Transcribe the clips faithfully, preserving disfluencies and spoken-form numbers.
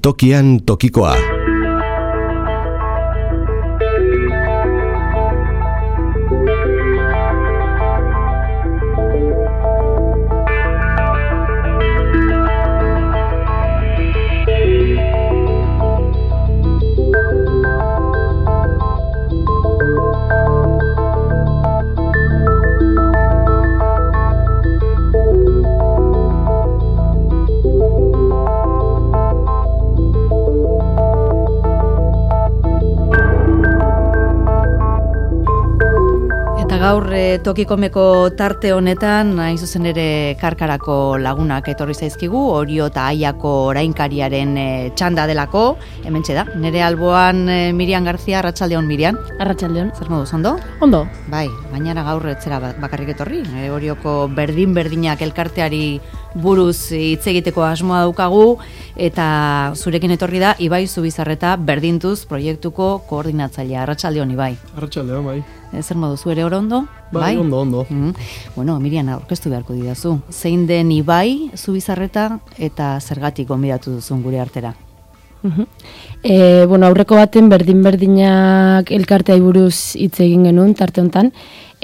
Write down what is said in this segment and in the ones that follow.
Tokian tokikoa. Gaur tokikomeko tarte honetan, hain zuzen ere Karkarako lagunak etorri zaizkigu, Orio eta Aiako orainkariaren e, txanda delako, hementxe da. Nere alboan e, Mirian Garzia, arratsaldeon Mirian. Arratsaldeon. Zer moduz, ondo? Ondo. Bai, baina gaur etzera bakarrik etorri. E, Orioko berdin-berdinak elkarteari buruz hitz egiteko asmoa daukagu, eta zurekin etorri da Ibai Zubizarreta Berdintuz proiektuko koordinatzailea. Arratsaldeon Ibai. Arratsaldeon, bai. Zer modu, zu ere ondo? Bai, bai? ondo, ondo. Mm. Bueno, Mirian, aurkeztu beharko didazu. Zein den Ibai Zubizarreta eta zergatik gonbidatu duzun gure artera? Uh-huh. E, bueno, aurreko baten berdin-berdinak elkartea buruz hitz egin genuen tarte hontan,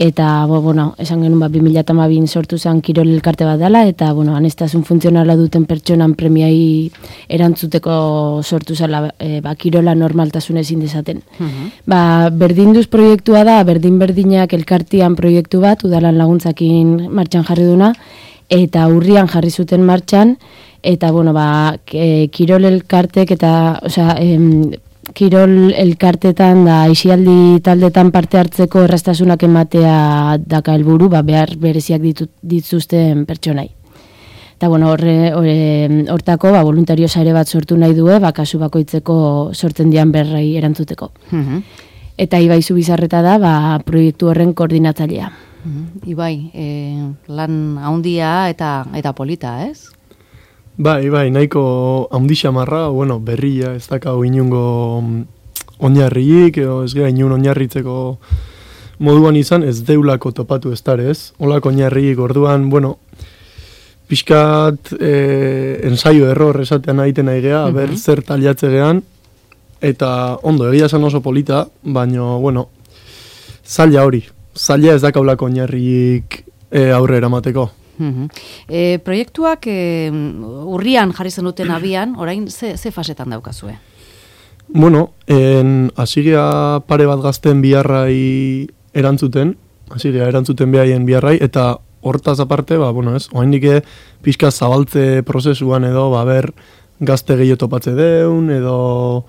eta bo, bueno, esan genuen ba, bi mila hamabin sortu zen kirol elkarte bat dela, eta bueno, aneztasun funtzionala duten pertsonan premiai erantzuteko sortu zela e, ba, kirola normaltasun ezin dezaten. Uh-huh. Ba, Berdinduz proiektua da, berdin-berdinak elkartean proiektu bat, udalan laguntzakin martxan jarri duna, eta urrian jarri zuten martxan, eta bueno, ba, e, kirol elkartek eta, osea, em, kirol elkartetan da aisialdi taldetan parte hartzeko erraztasunak ematea daka helburu, ba, behar bereziak ditut, dituzten pertsonai. Eta bueno, horre, horre, hortako ba, voluntario sare bat sortu nahi due, ba, kasu bakoitzeko sortzen dian berrei erantzuteko. Uh-huh. Eta Ibai Zubizarreta da ba, proiektu horren koordinatzailea. Uh-huh. Ibai, e, lan handia eta, eta polita, ez? Bai, bai, nahiko handi xamarra, bueno, berria, ez dakau inungo oinarriik, edo ez gara inun oinarritzeko moduan izan, ez deulako topatu ez darez. Olako oinarriik orduan, bueno, pixkat e, ensaio error esatean egiten nahi geha, uh-huh. ber zer taliatze gehan, eta ondo, egia esan oso polita, baina, bueno, zaila hori, zaila ez dakaulako oinarriik e, aurre eramateko. Uh-huh. E, proiektuak e, urrian jarri zen duten abian, orain ze, ze fasetan daukazue? Bueno, en asigea pare bat gazten biharrai erantzuten, asigea erantzuten behaien biharrai, eta hortaz aparte, ba, bueno, ez, oaindike pixka zabaltze prozesuan edo, ba, ber, gazte gehiago topatze deun, edo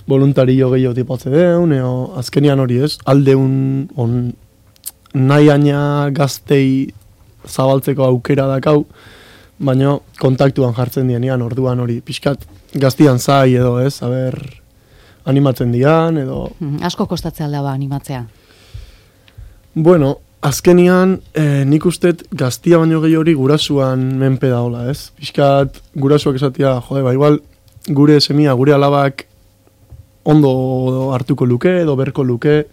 voluntario gehiago tipatze deun, edo azkenian hori ez, aldeun, on, nahi aina gaztei zabaltzeko aukera dakau, baina kontaktuan jartzen dianian, orduan hori, pixkat gaztian zai edo ez, aber, animatzen dian, edo... Hmm, asko kostatzea alda ba, animatzea? Bueno, azkenian, eh, nik ustet gaztia baino gehi hori gurasuan menpe daola, ez? Pixkat gurasuak esatia, jode, ba, igual, gure semia, gure alabak ondo hartuko luke, edo berko luke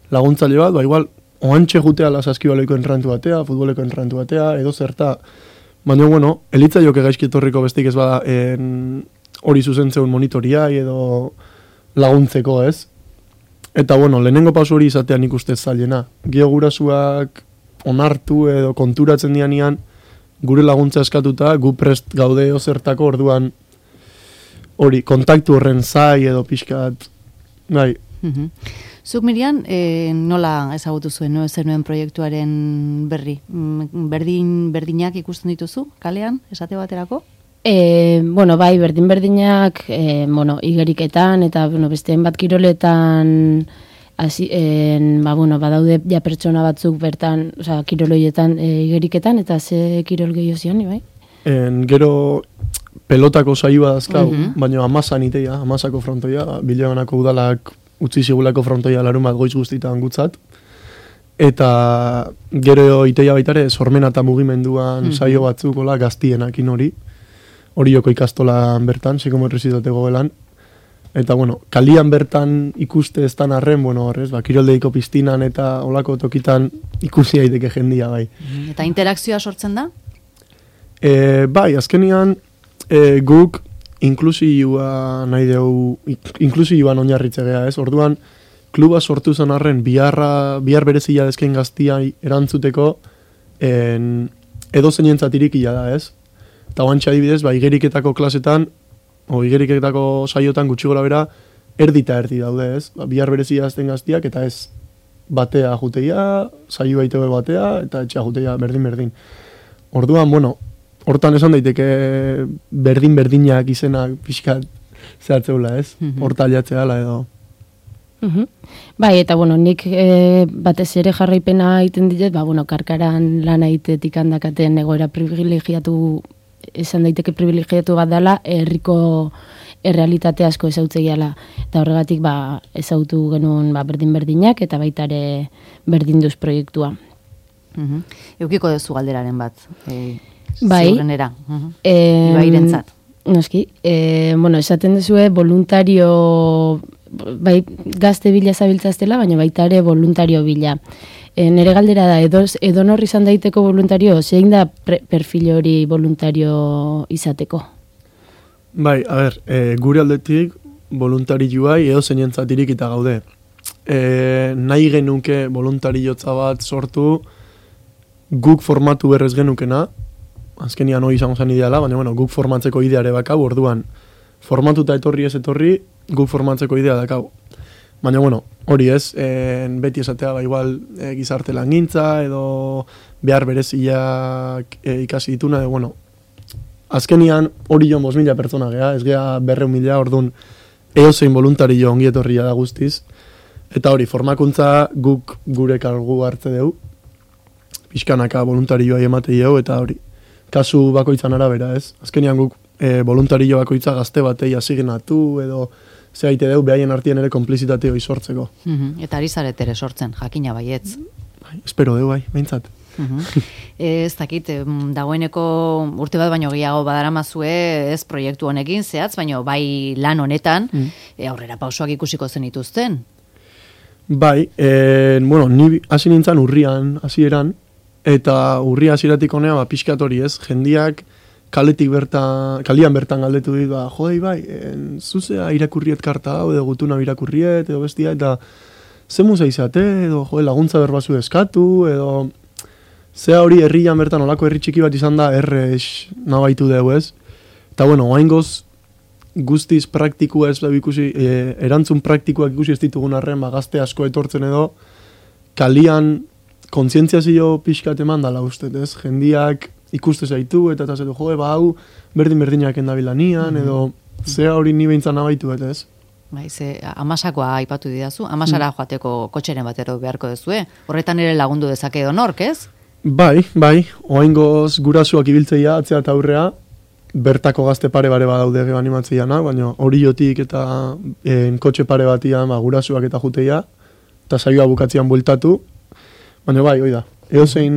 laguntzaile bat, ba, igual, oantxe jutea la saskibaloiko enrantu batea, futboleko enrantu batea, edo zerta. Baina, bueno, elitza joke gaizki etorriko bestik ez bada en, hori zuzentzeun monitoriai edo laguntzeko ez. Eta, bueno, lehenengo pauso hori izatean ikuste zailena. Gio gurasuak onartu edo konturatzen dianian, gure laguntza eskatuta, gu prest gaude zertako orduan hori, kontaktu horren zai edo pixkat, bai. Uh-huh. Zuk Mirian, e, nola ezagutu zuen, no, zenuen proiektuaren berri? Berdin, berdinak ikusten dituzu, kalean, esate baterako? E, bueno, bai, berdin-berdinak, e, bueno, igeriketan, eta bueno, beste bat kiroletan, hasi, en, ba, bueno, badaude ja pertsona batzuk bertan, osea, kiroloietan e, igeriketan, eta ze kirol gehiago zion, bai? En, gero pelotako saioa dazkau, uh-huh. baina amasan iteia, amasako frontoia, bilaganako udalak utzi zigulako frontoia larun bat goiz guztitan gutzat. Eta gero iteia baitare, sormena eta mugimenduan mm-hmm. saio batzuk, hola, gaztienakin hori. Hori joko ikastolan bertan, psikomorrizitate gobelan. Eta, bueno, kalian bertan ikuste ez tan arren, bueno, horrez, ba, kiroldeiko piztinan eta olako tokitan ikusi daiteke jendia, bai. Eta interakzioa sortzen da? E, bai, azkenian, e, guk inklusioa nahi dugu, inklusioan oinarritze gea, ez? Orduan, kluba sortu zen arren, biharra, bihar berezia dezken gaztiai erantzuteko, en, edo zeinentzat irikia da, ez? Eta guantxe adibidez, ba, igeriketako klasetan, o igeriketako saiotan gutxi gora bera, erdi eta erdi daude, ez? Ba, bihar berezia dezken gaztiak, eta ez batea juteia, saio baitebe batea, eta etxea juteia berdin-berdin. Orduan, bueno, hortan esan daiteke berdin-berdinak izenak pixkat zehatzeula, ez? Horta aliatzea ala edo. Uhum. Bai, eta bueno, nik e, batez ere jarraipena egiten ditet, ba, bueno, karkaran lan egitetik handakaten egoera privilegiatu, esan daiteke privilegiatu bat dela, herriko errealitate asko ezautzeiala. Eta horregatik, ba, ezautu genuen ba, berdin-berdinak, eta baita ere berdinduz proiektua. Uhum. Eukiko duzu galderaren bat, e, bai, ziurrenera, uhum. e, Ibairentzat. Noski, e, bueno, esaten duzue voluntario, bai, gazte bila zabiltzaztela, baina baita ere voluntario bila. E, nere galdera da, edo, edo norri izan daiteko voluntario, zein da pre, perfil hori voluntario izateko? Bai, a ber, e, gure aldetik voluntarioai edo zeinentzat irikita gaude. E, nahi genuke voluntariotza bat sortu, guk formatu berrez genukena, azkenian hori izango zen ideala, baina bueno, guk formatzeko ideare bakau, orduan, formatuta etorri ez etorri, guk formatzeko idea dakau. Baina bueno, hori ez, en, beti esatea, ba, igual e, gizarte langintza, edo behar bereziak e, ikasi dituna, edo bueno, azkenian hori jo bost mila pertsona gea, ez gea berreun mila, orduan, eozein voluntario ongietorria da guztiz, eta hori, formakuntza guk gure kargu hartze dugu, pixkanaka voluntarioa ematei dugu, eta hori, kasu bakoitzan arabera, ez? Azkenean guk e, voluntario bakoitza gazte batei asignatu edo zehaite deu behaien artien ere konplizitate hori sortzeko. Uhum. Eta ari zaret ere sortzen, jakina baietz. Bai, espero deu, bai, behintzat. Uhum. Ez dakit, dagoeneko urte bat baino gehiago badaramazue ez proiektu honekin zehatz, baino bai lan honetan mm. e, aurrera pausoak ikusiko zenituzten. Bai, e, bueno, ni hasi nintzen urrian, hasieran, eta urria hasieratik honea, ba, pixkat hori ez, jendiak kaletik bertan, kalian bertan galdetu dit, ba, jodei bai, en, zuzea irakurriet karta hau, edo gutuna irakurriet, edo bestia, eta ze muza izate, edo jode, laguntza berbazu eskatu, edo zea hori herrian bertan, olako herri txiki bat izan da, errex nabaitu dugu ez. Eta bueno, oaingoz guztiz praktikua ez da ikusi, e, erantzun praktikoak ikusi ez ditugun arren, ba, gazte asko etortzen edo, kalian kontzientziazio pixkat eman dala uste, ez? Jendiak ikuste zaitu, eta eta zetu, joe, ba, hau, berdin-berdinak endabilanian, edo zea hori ni behintzan nabaitu, eta ez? Bai, ze, amasakoa aipatu didazu, amasara mm. joateko kotxeren batero beharko duzue, horretan ere lagundu dezake edo nork, ez? Bai, bai, oaingoz gurasuak ibiltzeia, atzea eta aurrea, bertako gazte pare bare badaude gero animatzeiana, baina hori jotik eta en, kotxe pare batian ba, gurasuak eta juteia, eta saioa bukatzean bueltatu, baina bai, hoi da, eozein,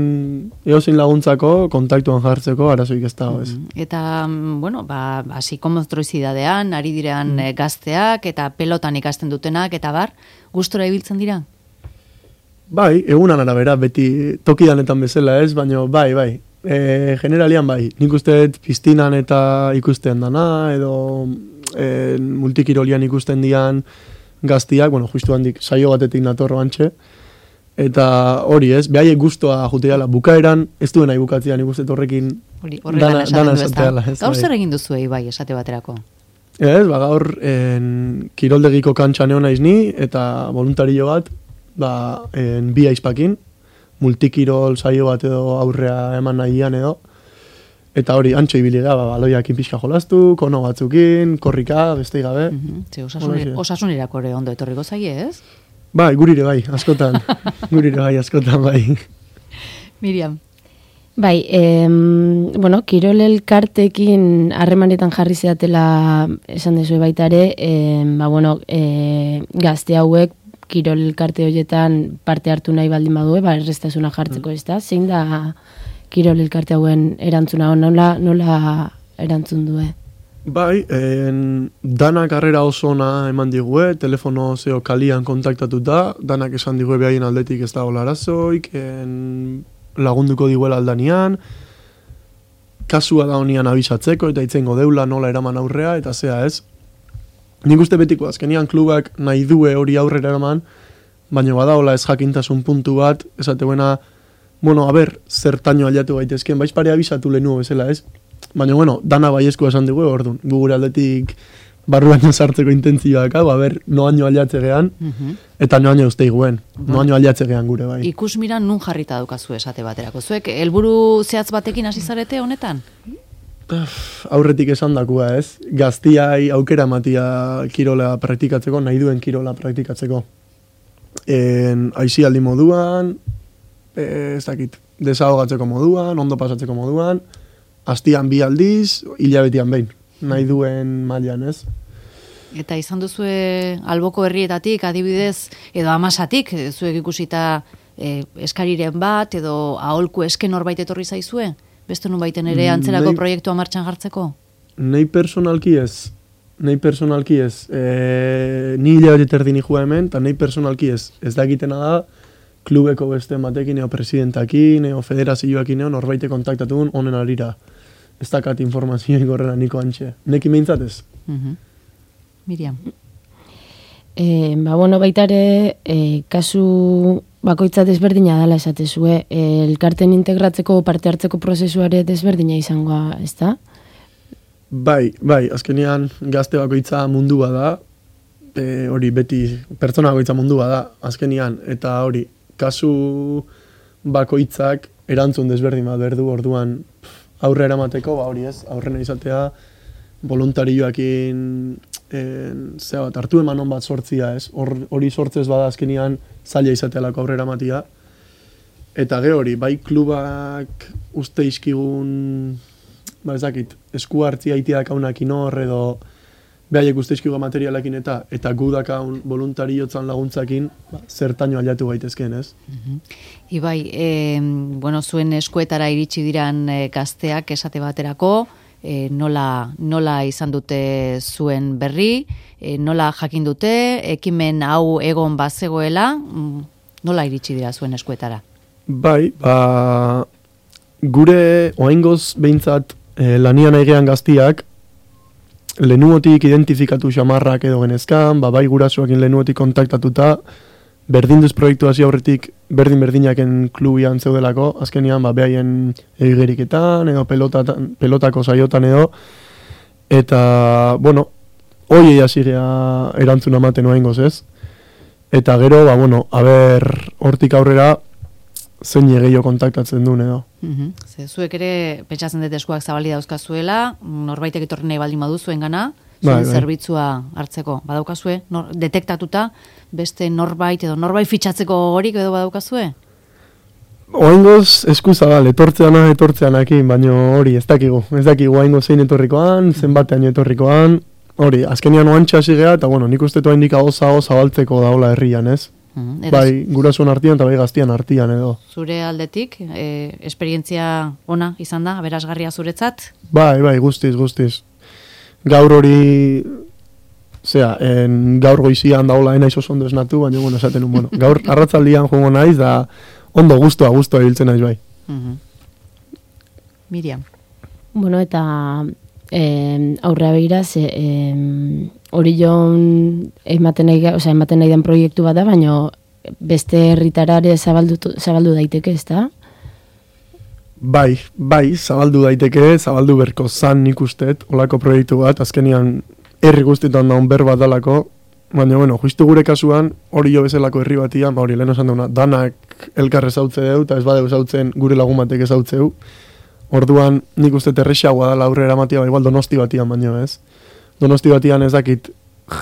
eozein laguntzako, kontaktuan jartzeko, arazoik ez dago ez. Eta, bueno, ba, psikomotrizidadean, ari direan mm. gazteak, eta pelotan ikasten dutenak, eta bar, gustora ibiltzen dira? Bai, egunan arabera, beti tokidanetan bezala ez, baina bai, bai, e, generalian bai, nik usteet piztinan eta ikusten dana, edo e, multikirolian ikusten dian gaztiak, bueno, justu handik saio batetik natorro antxe, eta hori ez, behaiek guztua juteala, bukaeran, ez duen nahi bukatzean ikusten horrekin dana, dana esateala. Gaur zer egin duzu bai, esate baterako? Ez, ba, gaur en, kiroldegiko kantxan egon naiz ni, eta voluntario bat, ba, en, bi aizpakin, multikirol saio bat edo aurrea eman nahian edo, eta hori, antxo ibili da, ba, baloiakin pixka jolastu, kono batzukin, korrika, beste gabe. Mm-hmm. Ze, osasun, osasunerako ere ondo etorriko zaie, ez? Bai, gurire bai, askotan. Gurire bai, askotan bai. Miriam. Bai, em, bueno, Kirol elkartekin harremanetan jarri zeatela esan dezu baita ere, em, ba, bueno, e, gazte hauek Kirol elkarte horietan parte hartu nahi baldin badue, ba, erreztasuna jartzeko ez da. Zein da Kirol elkarte hauen erantzuna, nola, nola erantzun due? Bai, en, danak harrera oso ona eman digue, telefono zeo kalian kontaktatuta, danak esan digue behaien aldetik ez da hola arazoik, en, lagunduko diguela aldanian, kasua da honian abisatzeko, eta itzengo deula nola eraman aurrea, eta zea ez. Nik uste betiko azkenian klubak nahi due hori aurrera eraman, baina badaola ez jakintasun puntu bat, esate buena, bueno, a ber, zertaino aliatu gaitezken, baiz pare abisatu lehenu bezala ez. Baina, bueno, dana baiezkoa esan dugu, orduan, gugure aldetik barruan sartzeko intentzioak, hau, a ber, noaino aliatze gehan, uh-huh. eta noaino uste iguen, uh-huh. noaino aliatze gehan gure bai. Ikus miran nun jarrita daukazu esate baterako. Zuek, helburu zehatz batekin hasi zarete honetan? Aurretik esan dakua ez, gaztiai aukera matia kirola praktikatzeko, nahi duen kirola praktikatzeko. En, aizialdi moduan, ez dakit, desahogatzeko moduan, ondo pasatzeko moduan, astian bi aldiz, hilabetian behin, nahi duen mailan ez. Eta izan duzue alboko herrietatik, adibidez, edo amasatik, zuek ikusita e, eskariren bat, edo aholku esken horbait etorri zaizue? Beste nun baiten ere antzerako nei, proiektua martxan jartzeko? Nei personalki ez. Nei personalki ez. E, ni hilabete terdi ni jua hemen, eta nei personalki ez. Ez dakitena da, klubeko beste batekin, eo presidentakin, eo federazioakin, eo norbaite kontaktatun honen arira. Ez dakat informazioa gorrena niko antxe. Neki meintzatez? Uh-huh. Miriam. E, ba, bueno, baitare, e, kasu bakoitza desberdina dela esatezue, e, elkarten integratzeko parte hartzeko prozesuare desberdina izangoa, ez da? Bai, bai, azkenean gazte bakoitza mundua da, e, hori beti pertsona bakoitza mundua da, azkenean, eta hori, kasu bakoitzak erantzun desberdin bat berdu, orduan aurre eramateko, ba hori ez, aurrena izatea, voluntarioakin zea bat, hartu emanon bat sortzia ez, hori sortzez bada azkenean zaila izatealako aurre eramatia, eta ge hori, bai klubak uste izkigun, ba ezakit, esku hartzia itia dakaunakin hor, edo behaiek uste izkigun materialakin eta eta gu dakaun voluntariotzan laguntzakin, ba, zertaino aliatu gaitezken ez. Uh-huh. Ibai, e, bueno, zuen eskuetara iritsi diran e, gazteak esate baterako, E, nola, nola izan dute zuen berri, e, nola jakin dute, ekimen hau egon bazegoela, nola iritsi dira zuen eskuetara? Bai, ba, gure oaingoz behintzat e, lanian aigean gaztiak, lehenuotik identifikatu xamarrak edo genezkan, ba, bai gurasoakin lehenuotik kontaktatuta, berdinduz proiektu hasi aurretik berdin-berdinaken klubian zeudelako, azkenean ba, behaien egeriketan edo pelotatan, pelotako saiotan edo, eta, bueno, hoiei hasi gea erantzuna ematen oaingoz ez, eta gero, ba, bueno, haber hortik aurrera zein gehiago kontaktatzen duen edo. Uh-huh. Ze, zuek ere, pentsatzen dut eskuak zabali dauzkazuela, norbaitek etorri nahi baldin badu zuen gana, zuen bai, bai. Zerbitzua hartzeko, badaukazue, nor, detektatuta, beste norbait edo norbait fitxatzeko horik edo badaukazue? Oaingoz eskuzabal, etortzeana etortzeanakin, baina hori ez dakigu. Ez dakigu oaingoz zein etorrikoan, zenbatean etorrikoan, hori, azkenian oantxa sigea, eta bueno, nik uste toa indika oza oza baltzeko daola herrian, ez? Mm, bai, gurasoen artian eta bai gaztian artian edo. Zure aldetik, e, esperientzia ona izan da, aberasgarria zuretzat? Bai, bai, guztiz, guztiz. Gaur hori, zera, en, gaur goizian daola enaiz oso ondo esnatu, baina, bueno, esaten un, bueno, gaur arratzaldian joango naiz, da ondo guztua, guztua hiltzen naiz bai. Uh-huh. Miriam. Bueno, eta eh, aurrea begira, ze, eh, hori joan ematen nahi, o sea, ematen nahi den proiektu bat da, baina beste herritarare zabaldu, zabaldu daiteke, ez da? Bai, bai, zabaldu daiteke, zabaldu berko zan nik ustet, olako proiektu bat, azkenian herri guztietan daun ber bat dalako, baina, bueno, justu gure kasuan, hori jo bezalako herri batian, ba hori, lehen esan dauna, danak elkarre zautze deu, eta ez badeu zautzen gure lagun batek ezautzeu, orduan nik uste terrexagoa dala aurrera matia, ba, igual donosti batian baino, ez? Donosti batian ez dakit,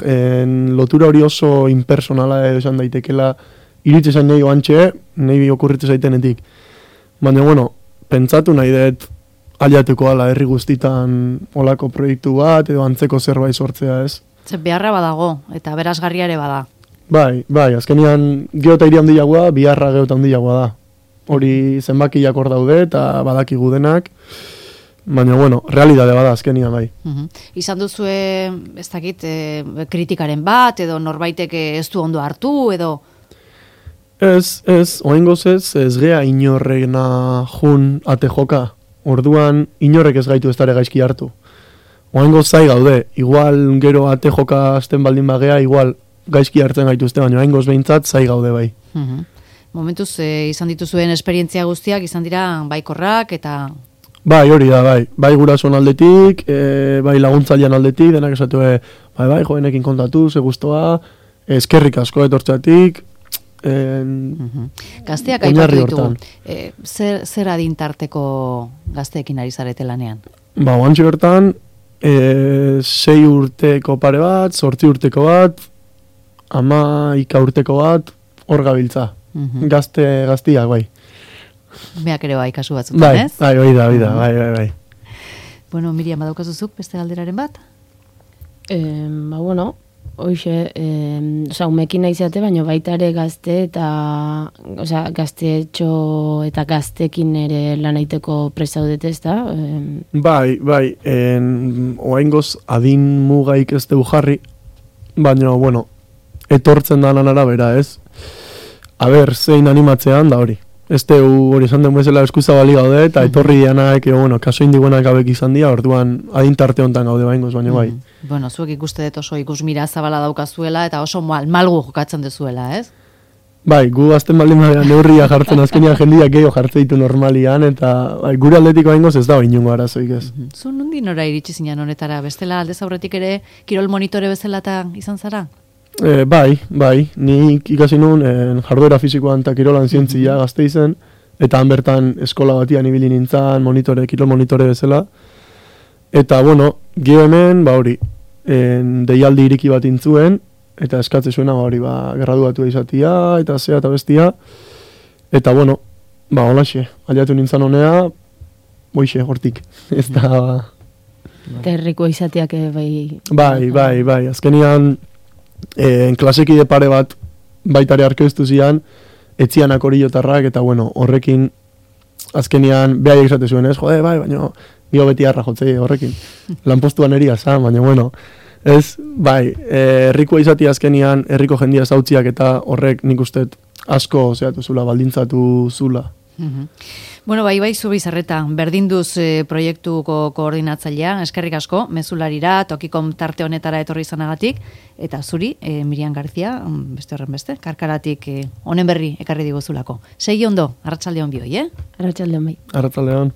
en, lotura hori oso impersonala esan daitekela, iritze zain nahi oantxe, nahi okurritze zaitenetik, baina, bueno, pentsatu nahi dut aliatuko ala herri guztitan olako proiektu bat edo antzeko zerbait sortzea ez. Zer beharra badago eta berazgarria ere bada. Bai, bai, azkenean geota hiri handiagoa, biharra geota handiagoa da. Hori zenbakiak hor daude eta badakigu denak, baina bueno, realidade bada azkenean bai. Uh-huh. Izan duzue, ez dakit, e, kritikaren bat edo norbaitek ez du ondo hartu edo... Ez, ez, oaingoz ez, ez gea inorrena jun ate joka. orduan inorek ez gaitu ez dara gaizki hartu. Oaingo zai gaude, igual gero ate joka azten baldin bagea, igual gaizki hartzen gaituzte, baina oaingoz behintzat zai gaude bai. Mhm. Momentuz, e, izan dituzuen esperientzia guztiak, izan dira baikorrak eta... Bai, hori da, bai. Bai gurasoen aldetik, e, bai laguntzailean aldetik, denak esatu, e, bai, bai, jovenekin kontatu, ze gustoa, eskerrik asko etortzeatik, en... Mhm. Gazteak aipatu ditugu, e, zer, zer adintarteko gazteekin ari zarete lanean? Ba, oantxe bertan, e, sei urteko pare bat, zortzi urteko bat, ama ika urteko bat, hor gabiltza. Mhm. Gazte, gaztiak, bai. Beak ere bai, kasu batzutan, Bai, ez? bai, bai da, bai da, bai, bai, bai. Bueno, Miriam, badaukazuzuk beste galderaren bat? Eh, ba, bueno, hoxe, eh, oza, umekin naizate, baina baita ere gazte eta, oza, gaztetxo eta gaztekin ere lan aiteko presaudete, ez da? Eh, Bai, bai, en, oaingoz adin mugaik ez deu jarri, baina, bueno, etortzen danan arabera, ez? A ber, zein animatzean da hori. Ez teu hori esan den bezala eskuza bali gaude, eta etorri dianak, e, bueno, kaso indiguenak abek izan dira, orduan adintarte hontan gaude baingoz, baina bai. Mm. Bueno, zuek ikuste dut oso ikusmira zabala daukazuela eta oso mal, malgu jokatzen dezuela, ez? Bai, gu azten baldin badean neurria jartzen azkenian jendiak gehiago jartzen ditu normalian, eta bai, gure aldetiko baingoz ez da inongo arazoik ez. Mm -hmm. Zu nundi nora iritsi zinan honetara, bestela aldez aurretik ere kirol monitore bezala eta izan zara? E, bai, bai, nik ikasi nun en, jarduera fisikoan eta kirolan zientzia gazte izen, eta han bertan eskola batian ibili nintzen, monitore, kirol monitore bezala. Eta, bueno, gio hemen, ba hori, en, deialdi iriki bat intzuen, eta eskatze zuena, ba hori, ba, graduatu izatia, eta zea eta bestia. Eta, bueno, ba, holaxe, aliatu nintzen honea, boixe, hortik, ez da... Ba... Terriko izateak bai... Bai, bai, bai, azkenian... En klasekide pare bat baitare arkeztu zian, etzianak oriotarrak, eta bueno, horrekin azkenian behaiek esate zuen, ez, jode, bai, baina gio beti harra jotzei horrekin. Lanpostuan eria zan, baina bueno, ez, bai, herrikoa izati azkenian, herriko jendia zautziak eta horrek nik ustet asko zeatu zula, baldintzatu zula. Mm-hmm. Bueno, bai, bai, zu bizarreta, berdinduz e, proiektuko koordinatzailea, eskerrik asko, mezularira, tokikom tarte honetara etorri izanagatik, eta zuri, e, Miriam Garzia, beste horren beste, karkaratik e, honen berri ekarri diguzulako. Segi ondo, arratsalde on bioi, eh? Arratsalde on bai. Arratsalde on.